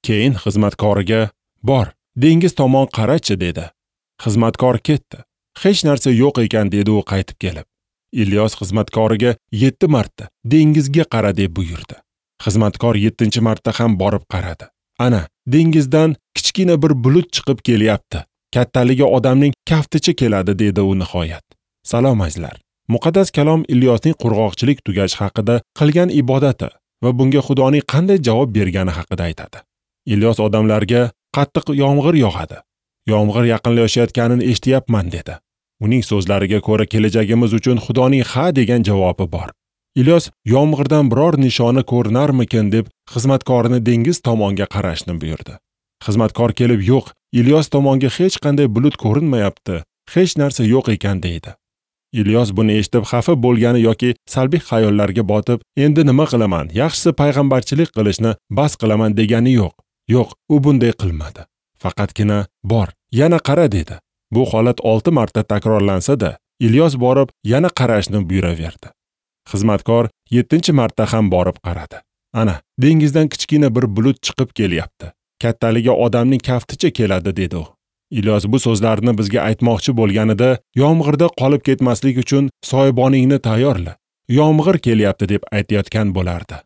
Keyin xizmatkoriga: "Bor, dengiz tomon qarachi" dedi. Xizmatkor ketdi. "Hech narsa yo'q ekan" dedi u qaytib kelib. Ilyos xizmatkoriga 7 marta dengizga qara deb buyurdi. Xizmatkor 7-marta ham borib qaradi. Ana, dengizdan kichkina bir bulut chiqib kelyapti. Kattaligi odamning kafticha keladi dedi u nihoyat. Salom azizlar. Muqaddas kalom Ilyosning qurg'oqchilik tugashi haqida qilgan ibodati va bunga Xudoning qanday javob bergani haqida aytadi. Ilyos odamlarga qattiq yomg'ir yog'adi. Yomg'ir yaqinlashayotganini eshityapman dedi. Uning so'zlariga ko'ra kelajagimiz uchun Xudoning ha degan javobi bor. Ilyos yomg'irdan biror nishona ko'rinarmikin deb xizmatkorini dengiz tomonga qarashni buyurdi. Xizmatkor kelib, yo'q, Ilyos tomonga hech qanday bulut ko'rinmayapti, hech narsa yo'q ekan deydi. Ilyos buni eshitib xafa bo'lgani yoki salbiy xayollarga botib, endi nima qilaman, yaxshisi payg'ambarchilik qilishni bas qilaman degani yo'q. Yo'q, u bunday qilmadi. Faqatgina bor, yana qara dedi. Bu holat 6 marta takrorlansa-da, Ilyos borib yana qarashni buyuraverdi. Xizmatkor 7-marta ham borib qaradi. Ana, dengizdan kichkina bir bulut chiqib kelyapti. Kattaligi odamning kafticha keladi dedi u. Ilyos bu so'zlarni bizga aytmoqchi bo'lganida, yomg'irda qolib ketmaslik uchun soyaboningni tayyorla. Yomg'ir kelyapti deb aytayotgan bo'lardi.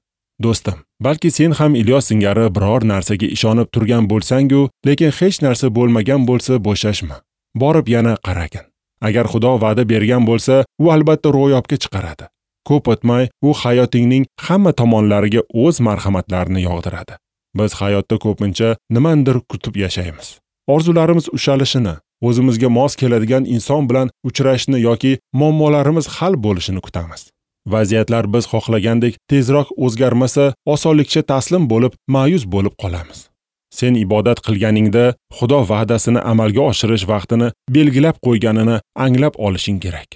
Do'stim, balki sen ham Ilyos singari biror narsaga ishonib turgan bo'lsang-u, lekin hech narsa bo'lmagan bo'lsa bo'shashma. Borib yana qaragin. Agar Xudo va'da bergan bo'lsa, u albatta ro'yobga chiqaradi. Ko'p o'tmay, u hayotingning hamma tomonlariga o'z marhamatlarini yog'diradi. Biz hayotda ko'pincha nimandir kutib yashaymiz. Orzularimiz ushalishini, o'zimizga mos keladigan inson bilan uchrashni yoki muammolarimiz hal bo'lishini kutamiz. Vaziyatlar biz xohlagandek tezroq o'zgarmasa, osonlikcha taslim bo'lib, ma'yus bo'lib qolamiz. Sen ibodat qilganingda Xudo va'dasini amalga oshirish vaqtini belgilab qo'yganini anglab olishing kerak.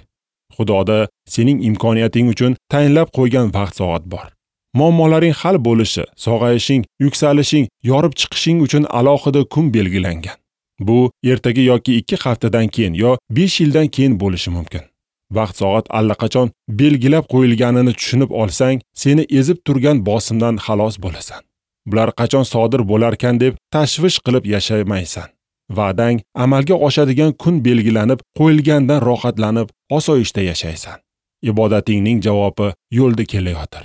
Xudoda sening imkoniyating uchun tayinlab qo'ygan vaqt soat bor. Muammolaring hal bo'lishi, sog'ayishing, yuksalishing, yorib chiqishing uchun alohida kun belgilangan. Bu ertaga yoki 2 haftadan keyin yo 5 yildan keyin bo'lishi mumkin. Vaqt soat allaqachon belgilab qo'yilganini tushunib olsang, seni ezib turgan bosimdan xalos bo'lasan. Bular qachon sodir bo'larkan deb tashvish qilib yashamaysan. Va'dang amalga oshadigan kun belgilanib qo'yilgandan rohatlanib, osoyishta yashaysan. Ibodatingning javobi yo'lda kelayotir.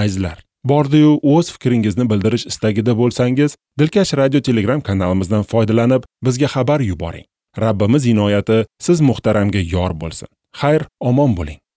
Azizlar, bordi-yu o'z fikringizni bildirish istagida bo'lsangiz, Dilkash radio Telegram kanalimizdan foydalanib, bizga xabar yuboring. Rabbimiz inoyati siz muhtaramga yor bo'lsin. Xayr, omon bo'ling.